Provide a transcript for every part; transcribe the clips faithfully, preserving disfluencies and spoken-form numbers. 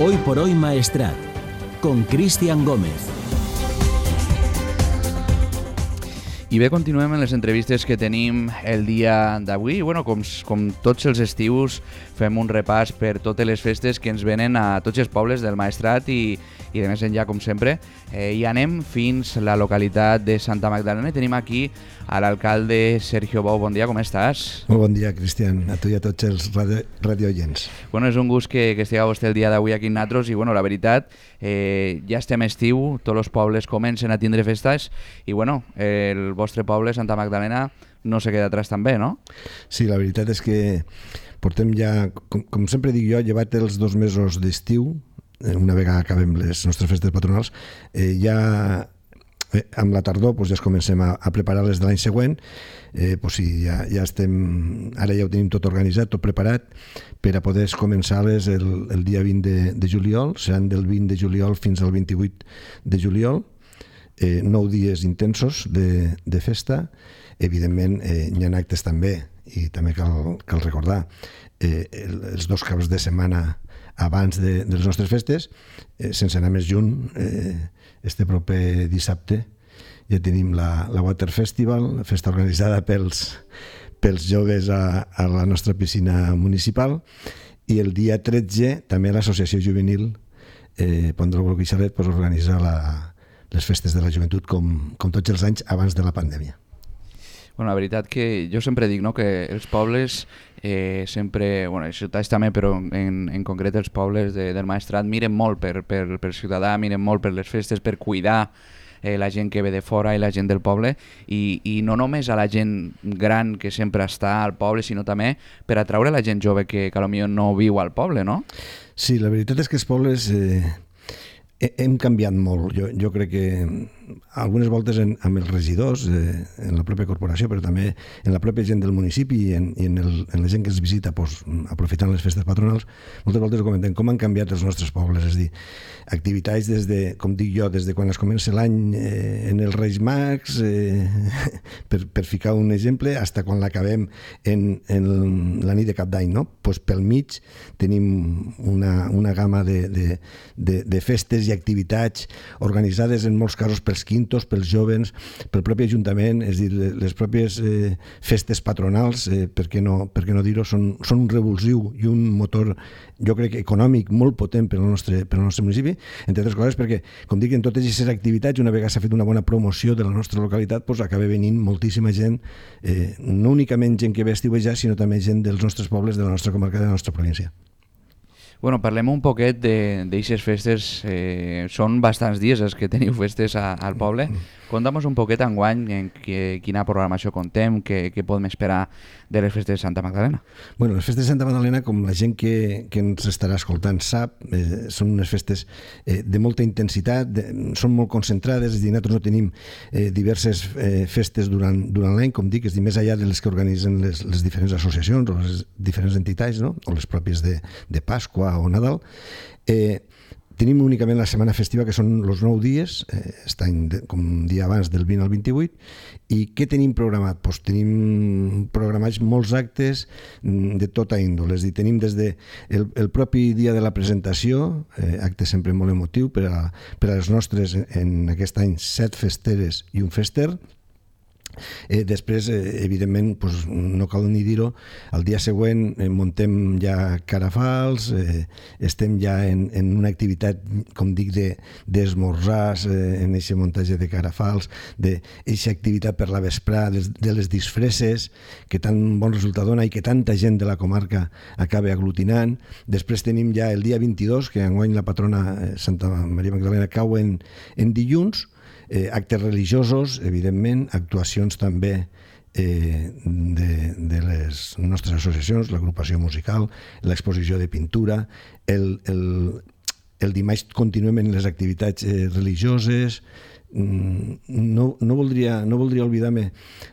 Hoy por Hoy Maestrat, con Cristian Gómez. I bé, continuem en les entrevistes que tenim el dia d'avui. Bueno, com, com tots els estius, fem un repàs per totes les festes que ens venen a tots els pobles del Maestrat i, i de més enllà, com sempre. Eh, I anem fins a la localitat de Santa Magdalena i tenim aquí a l'alcalde Sergio Bou. Bon dia, com estàs? Molt bon dia, Cristian, a tu i a tots els radio, radiooients. Bueno, és un gust que, que estigueu vostè el dia d'avui aquí amb nosaltres i, bueno, la veritat, eh, ja estem a estiu, tots els pobles comencen a tindre festes i, bueno, eh, el vostre poble, Santa Magdalena, no se queda atrás també, no? Sí, la veritat és que portem ja, com, com sempre dic jo, llevat els dos mesos d'estiu, una vegada acabem les nostres festes patronals, eh, ja eh, amb la tardor doncs ja es comencem a, a preparar les de l'any següent. Eh, doncs sí, ja, ja estem, ara ja ho tenim tot organitzat, tot preparat per a poder començar-les el, el dia vint de, de juliol, seran del vint de juliol fins al vint-i-vuit de juliol. Eh, nou dies intensos de, de festa. Evidentment eh, hi ha actes també i també cal, cal recordar eh, el, els dos caps de setmana abans de, de les nostres festes, eh, sense anar més junt, eh, este proper dissabte ja tenim la, la Water Festival, festa organitzada pels, pels joves a, a la nostra piscina municipal, i el dia tretze també l'Associació Juvenil eh, Pont del Guixalet pues, organitza la les festes de la joventut com, com tots els anys abans de la pandèmia. Bueno, la veritat que jo sempre dic, no?, que els pobles eh, sempre, bueno, les ciutats també, però en, en concret els pobles de, del Maestrat miren molt per, per, per ciutadà, miren molt per les festes, per cuidar eh, la gent que ve de fora i la gent del poble, i, i no només a la gent gran que sempre està al poble, sinó també per atraure la gent jove que, que potser no viu al poble, no? Sí, la veritat és que els pobles eh, hem canviat molt. Jo, jo crec que algunes voltes en, amb els regidors, eh, en la pròpia corporació, però també en la pròpia gent del municipi i en, i en, el, en la gent que ens visita, pues, aprofitant les festes patronals, moltes voltes ho comentem, com han canviat els nostres pobles. És a dir, activitats des de, com dic jo, des de quan es comença l'any eh, en els Reis Mags, eh, per, per ficar un exemple, fins quan l'acabem en, en la nit de Cap d'Any, no? Pues pel mig tenim una, una gamma de, de, de, de festes i activitats organitzades en molts casos pels quintos, pels jovens, pel propi Ajuntament. És a dir, les pròpies eh, festes patronals, eh, per què no, per què no dir-ho, són, són un revulsiu i un motor, jo crec, econòmic molt potent per al nostre, per al nostre municipi, entre altres coses perquè, com dic, en totes aquestes activitats, una vegada s'ha fet una bona promoció de la nostra localitat, doncs acaba venint moltíssima gent, eh, no únicament gent que ve a estiuejar, sinó també gent dels nostres pobles, de la nostra comarca, de la nostra província. Bueno, parlem un poquet d'aixes festes. Eh, són bastants dies els que teniu festes a, al poble. Conta'm un poquet enguany en que, quina programació contem, què, què podem esperar de les festes de Santa Magdalena. Bueno, les festes de Santa Magdalena, com la gent que, que ens estarà escoltant sap, eh, són unes festes eh, de molta intensitat, de, són molt concentrades. És a dir, nosaltres no tenim eh, diverses eh, festes durant, durant l'any, com dic, és a dir, més enllà de les que organitzen les, les diferents associacions o les diferents entitats, no? O les pròpies de, de Pasqua o Nadal. Eh, tenim únicament la setmana festiva, que són els nou dies, eh, estan de, com un dia abans del vint al vint-i-vuit. I què tenim programat? Pues tenim programats molts actes de tota índole. És a dir, tenim des de el, el propi dia de la presentació, eh, acte sempre molt emotiu per a, per a les nostres, en aquest any, set festeres i un fester. Eh, després, eh, evidentment, pues, no cal ni dir-ho, el dia següent eh, muntem ja carafals, eh, estem ja en, en una activitat, com dic, d'esmorzars, de, eh, en aquest muntatge de carafals, d'aquesta activitat per la vesprada, de, de les disfresses, que tan bon resultat dona i que tanta gent de la comarca acaba aglutinant. Després tenim ja el dia vint-i-dos, que enguany la patrona eh, Santa Maria Magdalena cau en, en dilluns. Eh, actes religiosos, evidentment, actuacions també eh, de, de les nostres associacions, l'agrupació musical, l'exposició de pintura. El, el, el dimarts continuem en les activitats eh, religioses. No, no, voldria, no voldria oblidar-me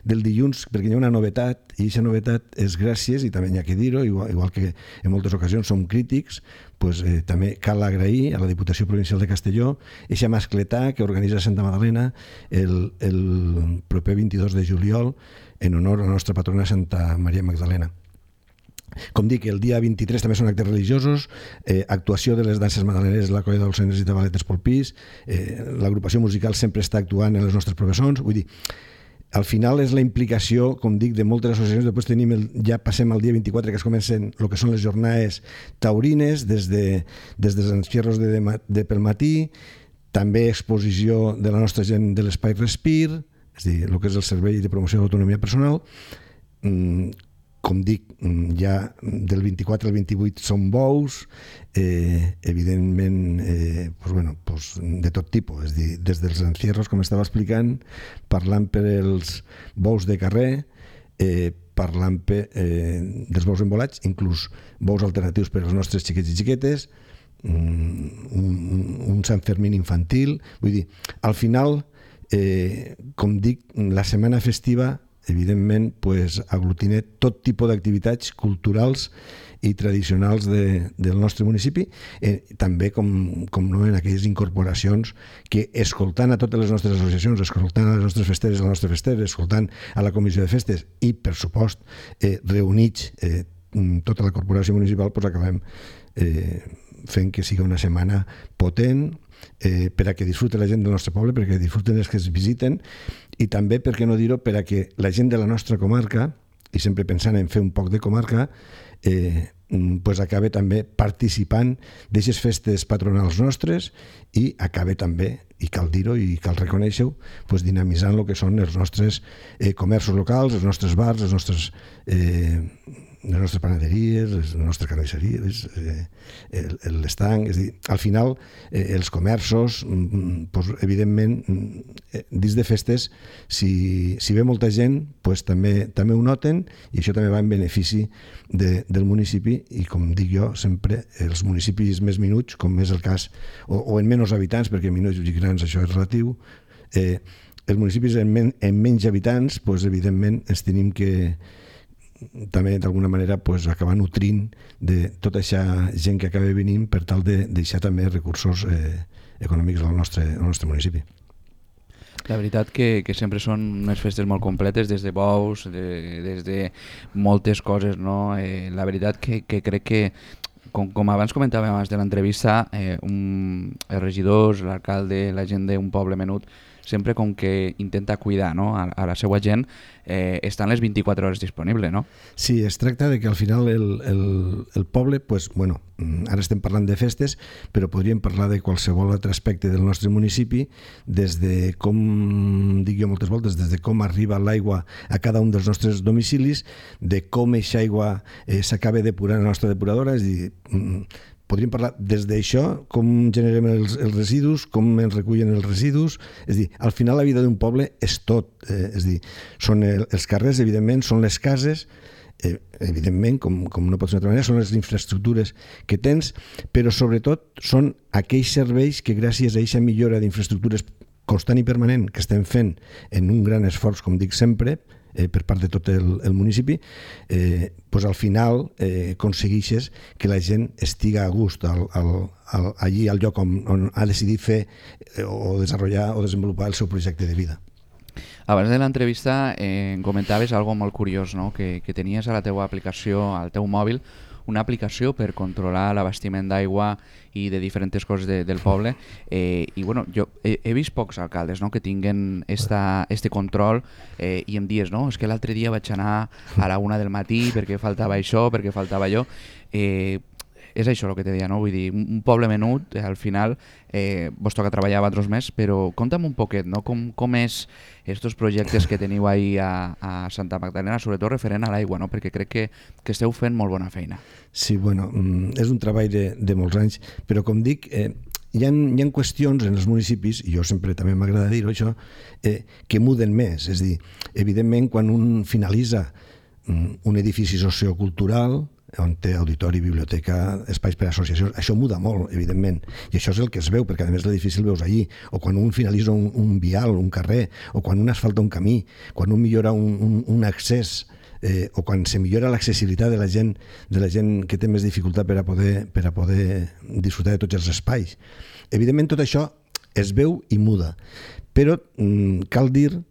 del dilluns, perquè hi ha una novetat, i aquesta novetat és gràcies, i també hi ha que dir-ho, igual, igual que en moltes ocasions som crítics, pues, eh, també cal agrair a la Diputació Provincial de Castelló eixa mascletà que organitza Santa Magdalena el, el proper vint-i-dos de juliol en honor a la nostra patrona Santa Maria Magdalena. Com dic, el dia vint-i-tres també són actes religiosos, eh, actuació de les danses madaleneres de la Colla Dolçaines i Tabaletes pel Pis, eh, l'agrupació musical sempre està actuant en les nostres professons, vull dir, al final és la implicació, com dic, de moltes associacions. Després tenim el, ja passem al dia vint-i-quatre, que es comencen el que són les jornades taurines, des de, des dels encierros de, de, de pel matí, també exposició de la nostra gent de l'Espai Respir, és a dir, el que és el Servei de Promoció de l'Autonomia Personal. Mm, com dic, ja del vint-i-quatre al vint-i-vuit són bous, eh, evidentment eh, pues bueno, pues de tot tipus, és dir, des dels encierros, com estava explicant, parlant per els bous de carrer, eh, parlant per, eh, dels bous embolats, inclús bous alternatius per als nostres xiquets i xiquetes, un, un, un Sant Fermín infantil, vull dir, al final, eh, com dic, la setmana festiva evidentment, pues, aglutina tot tipus d'activitats culturals i tradicionals de, del nostre municipi, eh, també com, com no en aquelles incorporacions que, escoltant a totes les nostres associacions, escoltant a les nostres festeres, a les nostres festeres, escoltant a la comissió de festes i, per supost, eh, reunits eh, tota la corporació municipal, pues, acabem eh, fent que sigui una setmana potent, eh, per a que disfrute la gent del nostre poble, perquè disfruten els que es visiten, i també, per què no dir-ho, per a que la gent de la nostra comarca, i sempre pensant en fer un poc de comarca, eh, pues acabe també participant d'aquestes festes patronals nostres i acabe també, i cal dir-ho i cal reconèixer-ho, pues dinamitzant el que són els nostres eh, comerços locals, els nostres bars, els nostres... Eh, les nostres panaderies, les nostres carnisseries, eh, l'estanc, és a dir, al final eh, els comerços, pues, evidentment, eh, dins de festes, si, si ve molta gent, pues, també, també ho noten i això també va en benefici de, del municipi i, com dic jo, sempre els municipis més minuts, com és el cas, o, o en menys habitants, perquè minuts i grans això és relatiu, eh, els municipis en, men, en menys habitants, pues, evidentment, ens tenim que també d'alguna manera pues, acabar nutrint de tota aquesta gent que acaba venint per tal de deixar també recursos eh, econòmics al nostre, al nostre municipi. La veritat que, que sempre són unes festes molt completes, des de bous, de, des de moltes coses, no? Eh, la veritat que, que crec que, com, com abans comentàvem abans de l'entrevista, eh, un, els regidors, l'alcalde, la gent d'un poble menut, sempre com que intenta cuidar, no? a, a la seva gent, eh, estan les vint-i-quatre hores disponibles, no? Sí, es tracta de que al final el, el, el poble, pues, bueno, ara estem parlant de festes, però podríem parlar de qualsevol altre aspecte del nostre municipi, des de com, dic jo moltes voltes, des de com arriba l'aigua a cada un dels nostres domicilis, de com aquesta aigua eh, s'acaba depurant a la nostra depuradora, és a dir, podríem parlar des d'això, com generem els, els residus, com ens recullen els residus, és a dir, al final la vida d'un poble és tot, eh, és a dir, són el, els carrers, evidentment, són les cases, eh, evidentment, com, com no pot ser d'altra manera, són les infraestructures que tens, però sobretot són aquells serveis que gràcies a aquesta millora d'infraestructures constant i permanent que estem fent en un gran esforç, com dic sempre, Eh, per part de tot el, el municipi, eh, pues al final eh, aconsegueixes que la gent estiga a gust al, al, al, allí al lloc on, on ha decidit fer eh, o desenvolupar o desenvolupar el seu projecte de vida. Abans de l'entrevista eh, comentaves algo molt curiós, no? que, que tenies a la teua aplicació, al teu mòbil, una aplicació per controlar l'abastiment d'aigua i de diferents coses de, del poble, eh, i bueno, jo he, he vist pocs alcaldes, no?, que tinguen esta, este control eh, i em dies, no, és que l'altre dia vaig anar a la una del matí perquè faltava això, perquè faltava allò, eh, és això el que te deia, no? Vull dir, un poble menut, al final eh, vos toca treballar a vosaltres més, però conta'm un poquet, no? Com, com és estos projectes que teniu ahí a, a Santa Magdalena, sobretot referent a l'aigua, no? Perquè crec que, que esteu fent molt bona feina. Sí, bueno, és un treball de, de molts anys, però com dic, eh, hi ha, hi ha qüestions en els municipis, i jo sempre també m'agrada dir-ho això, eh, que muden més. És a dir, evidentment, quan un finalitza un edifici sociocultural, on té auditori, biblioteca, espais per a associacions, això muda molt, evidentment, i això és el que es veu, perquè a més l'edifici el veus allí, o quan un finalitza un, un vial, un carrer, o quan un asfalta un camí, quan un millora un, un, un accés, eh, o quan se millora l'accessibilitat de la gent de la gent que té més dificultat per a poder, per a poder disfrutar de tots els espais. Evidentment tot això es veu i muda, però mm, cal dir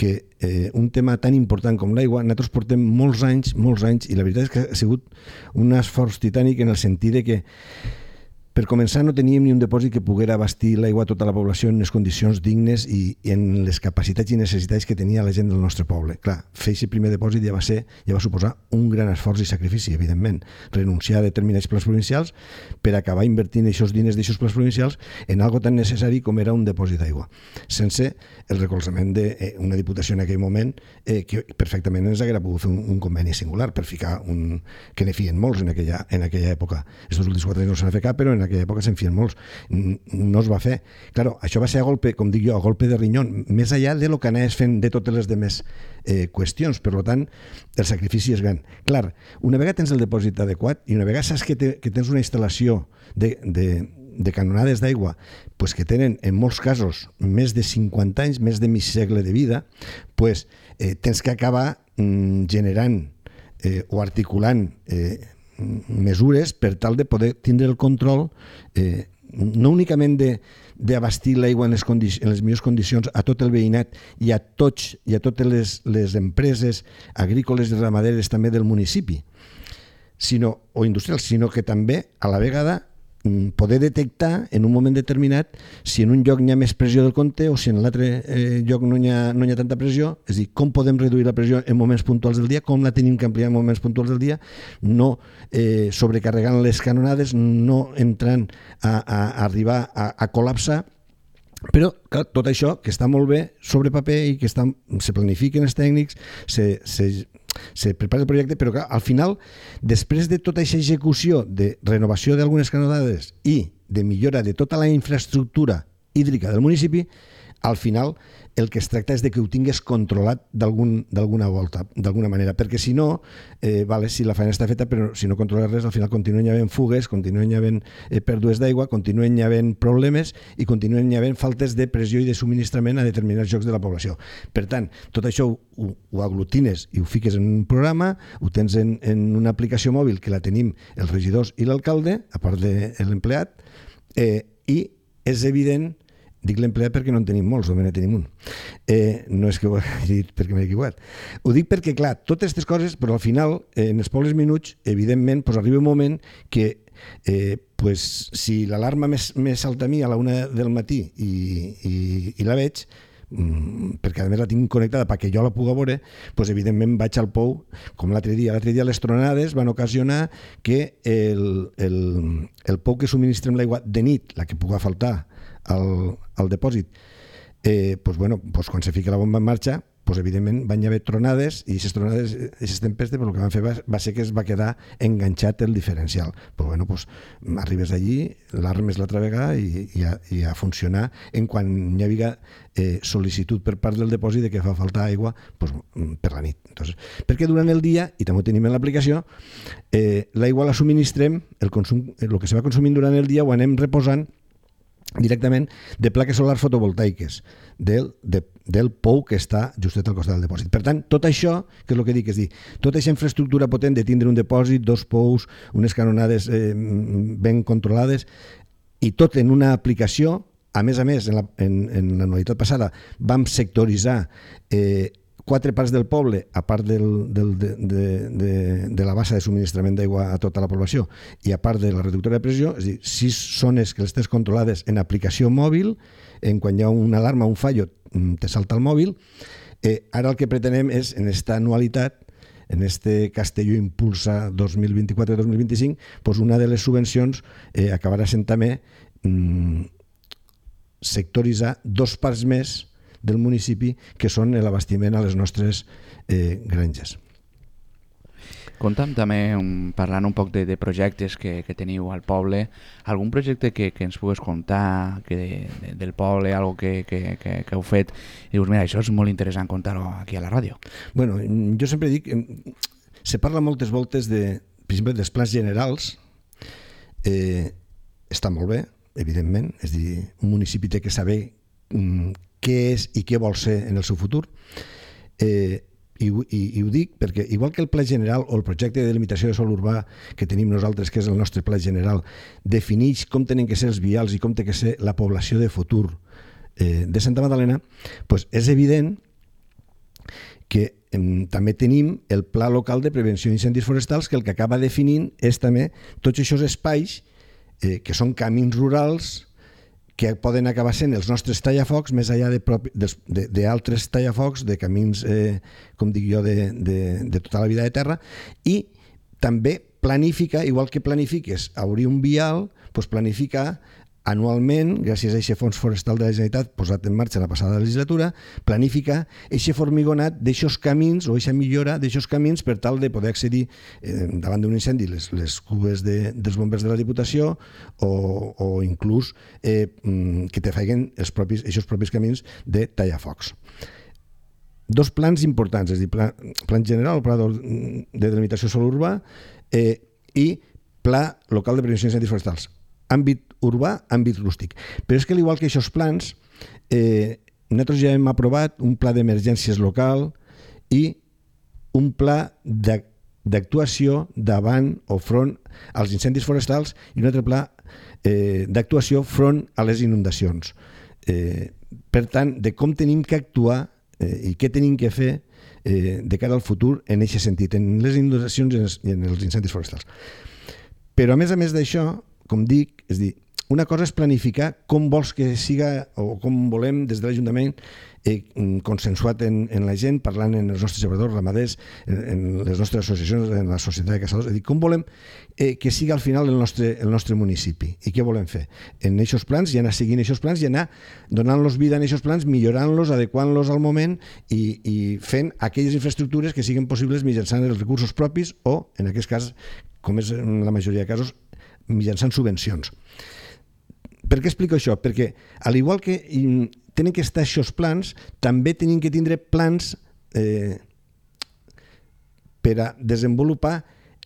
que eh, un tema tan important com l'aigua, nosaltres portem molts anys, molts anys, i la veritat és que ha sigut un esforç titànic en el sentit de que per començar, no teníem ni un depòsit que poguera abastir l'aigua a tota la població en unes condicions dignes i, i en les capacitats i necessitats que tenia la gent del nostre poble. Clar, fer aquest primer depòsit ja va ser, ja va suposar un gran esforç i sacrifici, evidentment. Renunciar a determinats plans provincials per acabar invertint aquests diners d'aquests plans provincials en algo tan necessari com era un depòsit d'aigua. Sense el recolzament d'una diputació en aquell moment eh, que perfectament ens haguera pogut fer un, un conveni singular per ficar un... que ne fien molts en aquella, en aquella època. Estos últims quatre anys no se n'ha fet cap, però en aquella època se'n fien molts. No es va fer. Claro, això va ser a golpe, com dic jo, a golpe de rinyón, més allà de lo que anaves fent de totes les demés eh, qüestions. Per tant, el sacrifici és gran. Clar, una vegada tens el depòsit adequat i una vegada saps que, te, que tens una instal·lació de, de, de canonades d'aigua pues que tenen, en molts casos, més de cinquanta anys, més de mig segle de vida, pues, eh, tens que acabar mm, generant eh, o articulant eh, mesures per tal de poder tindre el control eh, no únicament d'abastir l'aigua en, les en les millors condicions a tot el veïnat i a tots i a totes les, les empreses agrícoles i ramaderes també del municipi, sinó, o industrials, sinó que també a la vegada poder detectar en un moment determinat si en un lloc hi ha més pressió del compte o si en l'altre eh, lloc no hi, ha, no hi ha tanta pressió, és a dir, com podem reduir la pressió en moments puntuals del dia, com la tenim que ampliar en moments puntuals del dia, no eh, sobrecarregant les canonades, no entrant a, a, a arribar a, a col·lapsar. Però clar, tot això que està molt bé sobre paper i que està, se planifiquen els tècnics, se, se, se prepara el projecte, però clar, al final, després de tota aquesta execució de renovació d'algunes canonades i de millora de tota la infraestructura hídrica del municipi, al final el que es tracta és de que ho tingués controlat d'alguna volta, d'alguna manera, perquè si no, eh, vale, si la feina està feta, però si no controles res, al final continuen hi havent fugues, continuen hi havent eh, pèrdues d'aigua, continuen hi havent problemes i continuen hi havent faltes de pressió i de subministrament a determinats llocs de la població. Per tant, tot això ho, ho aglutines i ho fiques en un programa, ho tens en, en una aplicació mòbil que la tenim els regidors i l'alcalde, a part de l'empleat, eh, i és evident. Dic l'empleat perquè no en tenim molts, només en tenim un. Eh, no és que ho hagi dit perquè m'he equivocat. Ho dic perquè, clar, totes aquestes coses, però al final, eh, en els pobles minuts, evidentment, pues, arriba un moment que eh, pues, si l'alarma més, més salta a mi a la una del matí i, i, i la veig, mm, perquè a més la tinc connectada perquè jo la pugui veure, pues, evidentment vaig al pou, com l'altre dia. L'altre dia les tronades van ocasionar que el, el, el pou que subministrem l'aigua de nit, la que pugui faltar, Al, al depòsit, eh, pues bueno, pues quan se fica la bomba en marxa, pues evidentment van haver tronades i aquestes tronades, aquestes tempestes, pues el que van fer va, va ser que es va quedar enganxat el diferencial. Pues bueno, pues arribes allí, l'armes l'altra vegada i, i, a, i a funcionar en quan hi havia eh, sol·licitud per part del depòsit de que fa falta aigua pues, per la nit. Entonces, perquè durant el dia, i també ho tenim en l'aplicació, eh, l'aigua la subministrem, el, consum, el que se va consumint durant el dia ho anem reposant directament de plaques solars fotovoltaiques del, de, del pou que està justet al costat del depòsit. Per tant, tot això, que és el que dic, és dir, tota aquesta infraestructura potent de tindre un depòsit, dos pous, unes canonades eh, ben controlades, i tot en una aplicació, a més a més, en la, en, en l'anualitat passada, vam sectoritzar eh, quatre parts del poble, a part del, del, de, de, de, de la bassa de subministrament d'aigua a tota la població i a part de la reductora de pressió, és a dir, sis zones que les tens controlades en aplicació mòbil, en quan hi ha una alarma, un fallo, te salta el mòbil. Eh, ara el que pretenem és, en aquesta anualitat, en este Castelló Impulsa dos mil vint-i-quatre dos mil vint-i-cinc, pues una de les subvencions eh, acabarà sent també mm, sectoritzar dos parts més del municipi, que són l'abastiment a les nostres eh, granges. Conta'm també, um, parlant un poc de, de projectes que, que teniu al poble, algun projecte que, que ens pugues contar que de, de, del poble, algo que, que, que, que heu fet, i dius, mira, això és molt interessant contar-ho aquí a la ràdio. Bueno, jo sempre dic, se parla moltes voltes de, per exemple, dels plans generals, eh, està molt bé, evidentment, és dir, un municipi té que saber mm, què és i què vol ser en el seu futur. Eh, i, i, I ho dic perquè, igual que el pla general o el projecte de delimitació de sòl urbà que tenim nosaltres, que és el nostre pla general, defineix com tenen que ser els vials i com té que ser la població de futur eh, de Santa Magdalena, pues és evident que eh, també tenim el Pla Local de Prevenció d'Incendis Forestals, que el que acaba definint és també tots aquests espais eh, que són camins rurals que poden acabar sent els nostres tallafocs més enllà d'altres tallafocs, de camins, eh, com dic jo, de, de, de tota la vida de terra, i també planificar, igual que planifiques obrir un vial, doncs planificar anualment, gràcies a aquest fons forestal de la Generalitat posat en marxa la passada legislatura, planificar aquest formigonat d'aixòs camins o aquesta millora d'aixòs camins per tal de poder accedir eh, davant d'un incendi les, les cubes de, dels bombers de la Diputació o, o inclús eh, que te feien els propis, aquests propis camins de tallafocs. Dos plans importants, és a dir, pla, plan general, pla de delimitació de sòl urbà eh, i pla local de prevenció d'incendis forestals. Àmbit urbà, àmbit rústic. Però és que, al igual que aquests plans, eh, nosaltres ja hem aprovat un pla d'emergències local i un pla d'actuació davant o front als incendis forestals i un altre pla eh, d'actuació front a les inundacions. Eh, per tant, de com tenim que actuar eh, i què tenim que fer eh, de cara al futur en aquest sentit, en les inundacions i en els incendis forestals. Però, a més a més d'això, com dic, és dir, una cosa és planificar com vols que siga o com volem des de l'Ajuntament eh, consensuat en, en la gent, parlant en els nostres llevadors, ramaders, en, en les nostres associacions, en la societat de caçadors, és dir, com volem eh, que siga al final el nostre, el nostre municipi i què volem fer en aquests plans i anar seguint aquests plans i anar donant-los vida en aquests plans, millorant-los, adequant-los al moment i, i fent aquelles infraestructures que siguin possibles mitjançant els recursos propis o, en aquest cas, com és en la majoria de casos, mitjançant subvencions. Per què explico això? Perquè, al igual que tenen que estar aquests plans, també tenen que tindre plans eh, per a desenvolupar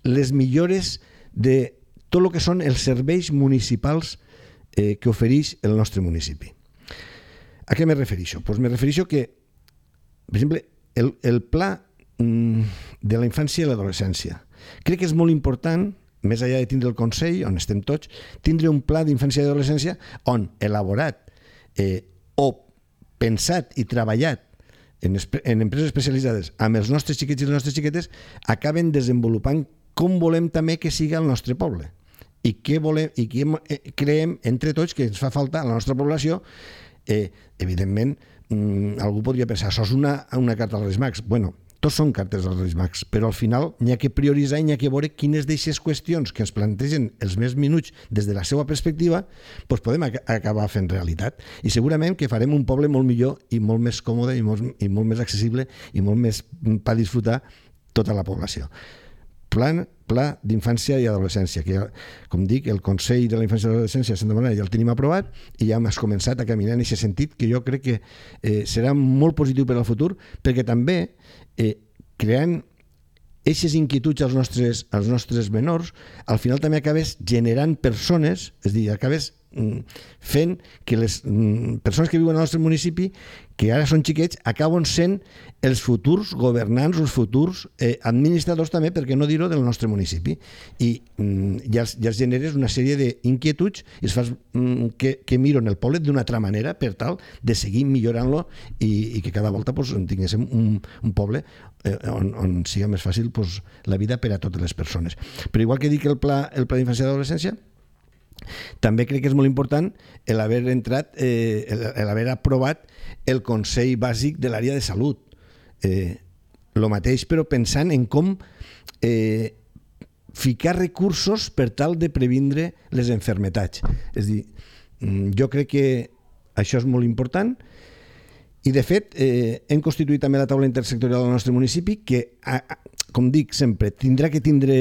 les millores de tot el que són els serveis municipals eh, que ofereix el nostre municipi. A què me refereixo? Pues me refereixo que, per exemple, el, el pla mm, de la infància i l'adolescència crec que és molt important, més enllà de tindre el Consell, on estem tots, tindre un pla d'infància i adolescència on elaborat eh, o pensat i treballat en, en empreses especialitzades amb els nostres xiquets i les nostres xiquetes acaben desenvolupant com volem també que siga el nostre poble i què volem i què creiem entre tots que ens fa falta a la nostra població. Eh, evidentment, mm, algú podria pensar, això és una, una carta als Reis Mags. Bueno, tots són cartes als Reis Mags, però al final n'hi ha que prioritzar i n'hi ha que veure quines d'aquestes qüestions que ens plantegen els més minuts des de la seva perspectiva doncs podem ac acabar fent realitat. I segurament que farem un poble molt millor i molt més còmode i molt, i molt més accessible i molt més per disfrutar tota la població. Plan, pla d'infància i adolescència, que, com dic, el Consell de la Infància i l'Adolescència de Santa Maria ja el tenim aprovat i ja hem començat a caminar en aquest sentit, que jo crec que eh, serà molt positiu per al futur, perquè també eh, creant aquestes inquietuds als nostres, als nostres menors, al final també acabes generant persones, és a dir, acabes fent que les persones que viuen al nostre municipi, que ara són xiquets, acaben sent els futurs governants, els futurs eh, administradors també, per què no dir-ho, del nostre municipi. I mm, ja, ja es generes una sèrie d'inquietuds i es fas mm, que, que miren el poble d'una altra manera per tal de seguir millorant-lo i, i que cada volta pues, tinguéssim un, un poble eh, on, on siga més fàcil pues, la vida per a totes les persones. Però igual que dic el pla, el pla d'infància i adolescència, també crec que és molt important l'haver entrat, eh, l'haver aprovat el Consell Bàsic de l'àrea de salut. Eh, lo mateix, però pensant en com eh, ficar recursos per tal de previndre les enfermetats. És a dir, jo crec que això és molt important i, de fet, eh, hem constituït també la taula intersectorial del nostre municipi que, a, a, com dic sempre, tindrà que tindre,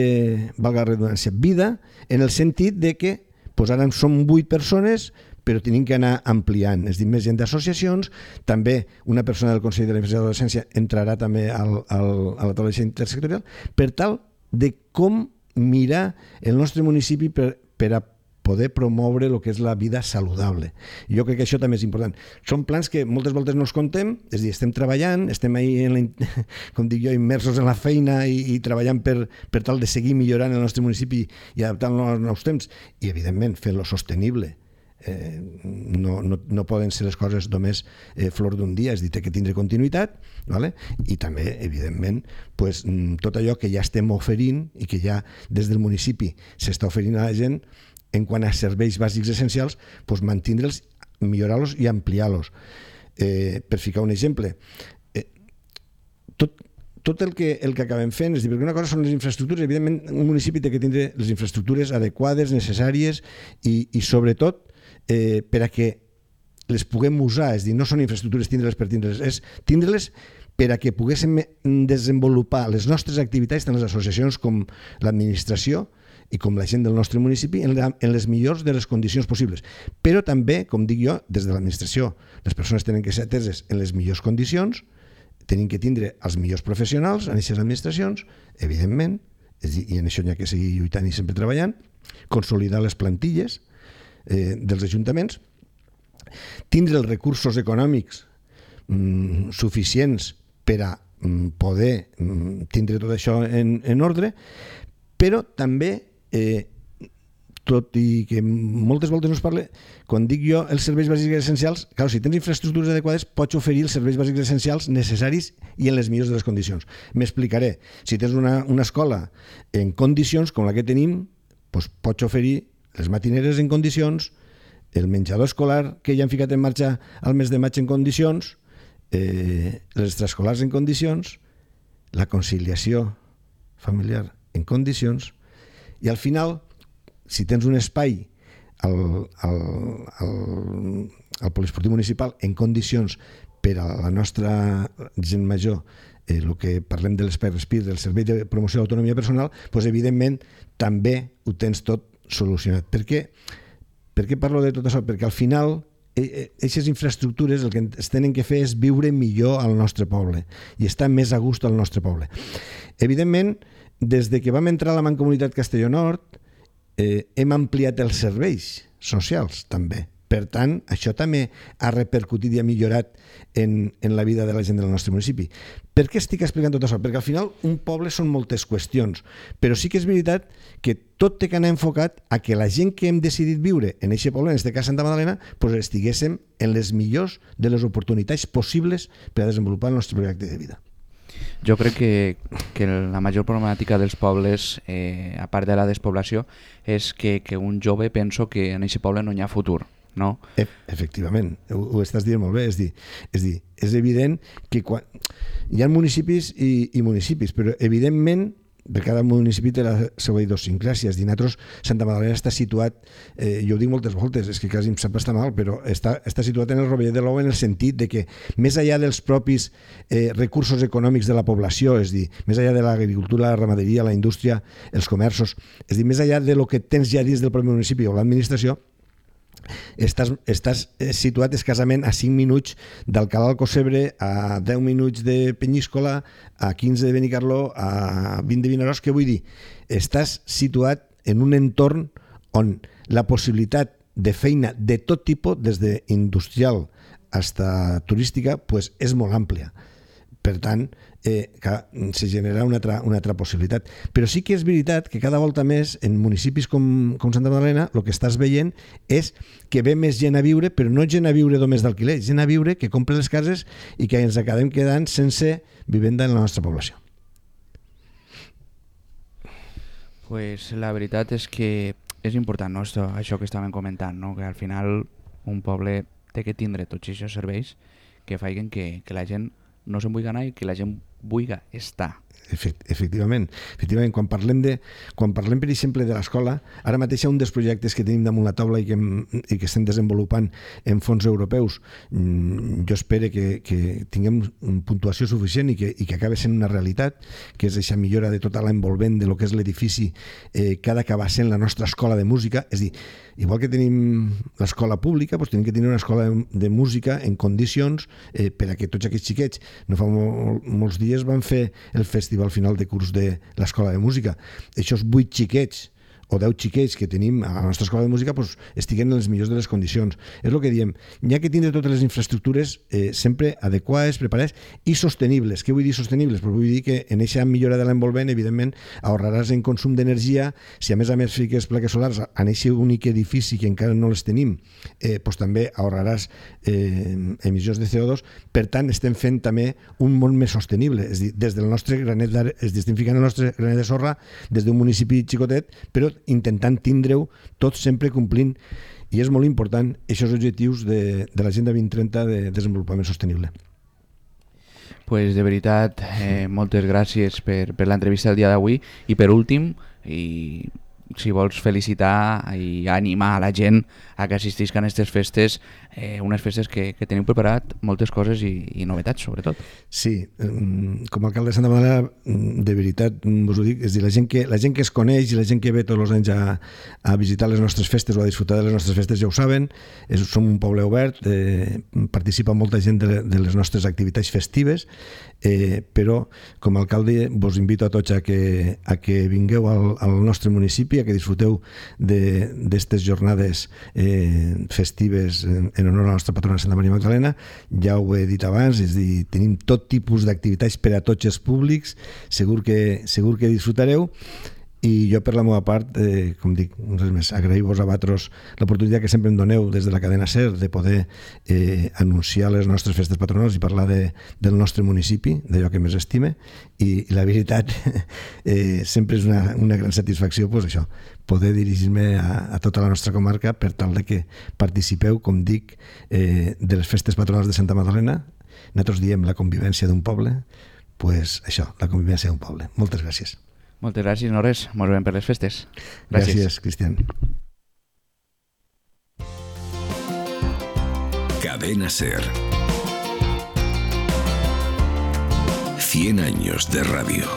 valga la redundància, vida en el sentit de que pues ara som vuit persones, però tenim que anar ampliant. És dir, més gent d'associacions, també una persona del Consell de la Infància i l'Adolescència entrarà també al, al, a la taula intersectorial, per tal de com mirar el nostre municipi per, per a poder promoure el que és la vida saludable. Jo crec que això també és important. Són plans que moltes voltes no els contem, és a dir, estem treballant, estem ahí, en la, com dic jo, immersos en la feina i, i treballant per, per tal de seguir millorant el nostre municipi i adaptant-lo als nous temps i, evidentment, fer-lo sostenible Eh, no, no, no poden ser les coses només eh, flor d'un dia, és a dir, té que tindre continuïtat, vale? I també, evidentment, pues, tot allò que ja estem oferint i que ja des del municipi s'està oferint a la gent en quant a serveis bàsics essencials, pues, mantindre'ls, millorar-los i ampliar-los. Eh, per ficar un exemple, eh, tot, tot el que, el que acabem fent, és dir, perquè una cosa són les infraestructures, evidentment un municipi té que tindre les infraestructures adequades, necessàries i, i sobretot eh, per a que les puguem usar, és dir, no són infraestructures tindre-les per tindre-les, és tindre-les per a que poguéssim desenvolupar les nostres activitats, tant les associacions com l'administració i com la gent del nostre municipi, en, la, en les millors de les condicions possibles. Però també, com dic jo, des de l'administració, les persones tenen que ser ateses en les millors condicions, tenim que tindre els millors professionals en aquestes administracions, evidentment, és dir, i en això n'hi ha que seguir lluitant i sempre treballant, consolidar les plantilles eh, dels ajuntaments, tindre els recursos econòmics mm, suficients per a mm, poder mm, tindre tot això en, en ordre, però també, eh, tot i que moltes voltes no es parla, quan dic jo els serveis bàsics essencials, clar, si tens infraestructures adequades pots oferir els serveis bàsics essencials necessaris i en les millors de les condicions. M'explicaré. Si tens una, una escola en condicions com la que tenim, doncs pots oferir les matineres en condicions, el menjador escolar que ja han ficat en marxa al mes de maig en condicions, eh, les extraescolars en condicions, la conciliació familiar en condicions, i al final, si tens un espai al, al, al, al poliesportiu municipal en condicions per a la nostra gent major, eh, el que parlem de l'espai Respir, del servei de promoció de l'autonomia personal, doncs evidentment també ho tens tot solucionat. Per què? Per què parlo de tot això? Perquè al final aquestes infraestructures el que es tenen que fer és viure millor al nostre poble i estar més a gust al nostre poble. Evidentment, des de que vam entrar a la Mancomunitat Castelló Nord, eh, hem ampliat els serveis socials també. Per tant, això també ha repercutit i ha millorat en, en la vida de la gent del nostre municipi. Per què estic explicant tot això? Perquè al final un poble són moltes qüestions, però sí que és veritat que tot té que anar enfocat a que la gent que hem decidit viure en aquest poble, en aquest cas Santa Magdalena, doncs estiguéssim en les millors de les oportunitats possibles per a desenvolupar el nostre projecte de vida. Jo crec que, que la major problemàtica dels pobles, eh, a part de la despoblació, és que, que un jove penso que en aquest poble no hi ha futur. No? E Efectivament, ho, ho estàs dient molt bé, és dir, és dir, és evident que quan... hi ha municipis i, i municipis, però evidentment per cada municipi té la seva idiosincràsia. Nosaltres, Santa Magdalena està situat, eh, jo ho dic moltes voltes, és que quasi em sap estar mal, però està, està situat en el rovell de l'ou en el sentit de que més enllà dels propis eh, recursos econòmics de la població, és dir, més enllà de l'agricultura, la ramaderia, la indústria, els comerços, és dir, més enllà de lo que tens ja dins del propi municipi o l'administració, Estàs, estàs situat escassament a cinc minuts d'Alcalá d'Alcocebre, a deu minuts de Penyíscola, a quinze de Benicarló, a vint de Vinaròs. Què vull dir? Estàs situat en un entorn on la possibilitat de feina de tot tipus, des d'industrial fins a turística, pues, és molt àmplia. Per tant, eh, se genera una altra, una altra possibilitat. Però sí que és veritat que cada volta més en municipis com, com Santa Magdalena el que estàs veient és que ve més gent a viure, però no gent a viure només d'alquiler, gent a viure que compra les cases i que ens acabem quedant sense vivenda en la nostra població. Pues la veritat és que és important, no? Esto, això que estàvem comentant, no? Que al final un poble té que tindre tots aquests serveis que facin que, que la gent no se'n vulgui anar i que la gent vulgui estar. Efectivament. Efectivament, quan parlem de, quan parlem, per exemple, de l'escola, ara mateix un dels projectes que tenim damunt la taula i que, i que estem desenvolupant en fons europeus, jo espero que, que tinguem puntuació suficient i que, i que acabi sent una realitat, que és aquesta millora de tota l'envolvent de lo que és l'edifici eh, que ha d'acabar sent la nostra escola de música. És dir, igual que tenim l'escola pública, doncs tenim que tenir una escola de música en condicions eh, per a que tots aquests xiquets, no fa mol, molts dies van fer el festival final de curs de l'escola de música. Aquests vuit xiquets o deu xiquets que tenim a la nostra escola de música pues, estiguen en les millors de les condicions. És el que diem, n'hi ha que tindre totes les infraestructures eh, sempre adequades, preparades i sostenibles. Què vull dir sostenibles? Pues vull dir que en aquesta millora de l'envolvent, evidentment, ahorraràs en consum d'energia. Si a més a més fiques plaques solars en aquest únic edifici que encara no les tenim, eh, pues, també ahorraràs eh, emissions de C O dos. Per tant, estem fent també un món més sostenible. És dir, des del nostre granet d'are- es estem ficant el nostre granet de sorra des d'un municipi xicotet, però intentant tindre-ho tot sempre complint, i és molt important aquests objectius de, de l'Agenda vint trenta de desenvolupament sostenible. Pues de veritat, eh, moltes gràcies per, per l'entrevista del dia d'avui, i per últim, i si vols felicitar i animar a la gent a que assistisquen a aquestes festes, eh, unes festes que, que teniu preparat moltes coses i, i novetats, sobretot. Sí, com a alcalde de Santa Madalena, de veritat us ho dic, és dir, la gent que, la gent que es coneix i la gent que ve tots els anys a, a visitar les nostres festes o a disfrutar de les nostres festes ja ho saben, és, som un poble obert, eh, participa molta gent de, de les nostres activitats festives, eh, però com a alcalde vos invito a tots a que, a que vingueu al, al nostre municipi, a que disfruteu d'aquestes jornades eh, festives en, en honor a la nostra patrona Santa Maria Magdalena. Ja ho he dit abans, és dir, tenim tot tipus d'activitats per a tots els públics, segur que, segur que disfrutareu. I jo, per la meva part, eh, com dic, res més, agrair-vos a vosaltres l'oportunitat que sempre em doneu des de la cadena SER de poder eh, anunciar les nostres festes patronals i parlar de, del nostre municipi, d'allò que més estime, i, i la veritat eh, sempre és una, una gran satisfacció pues, això, poder dirigir-me a, a tota la nostra comarca per tal de que participeu, com dic, eh, de les festes patronals de Santa Madalena. Nosaltres diem la convivència d'un poble, pues això, la convivència d'un poble. Moltes gràcies. Moltes gràcies, no res. Ens veiem per les festes. Gràcies, gràcies Cristian. Cadena SER. cien años de radio.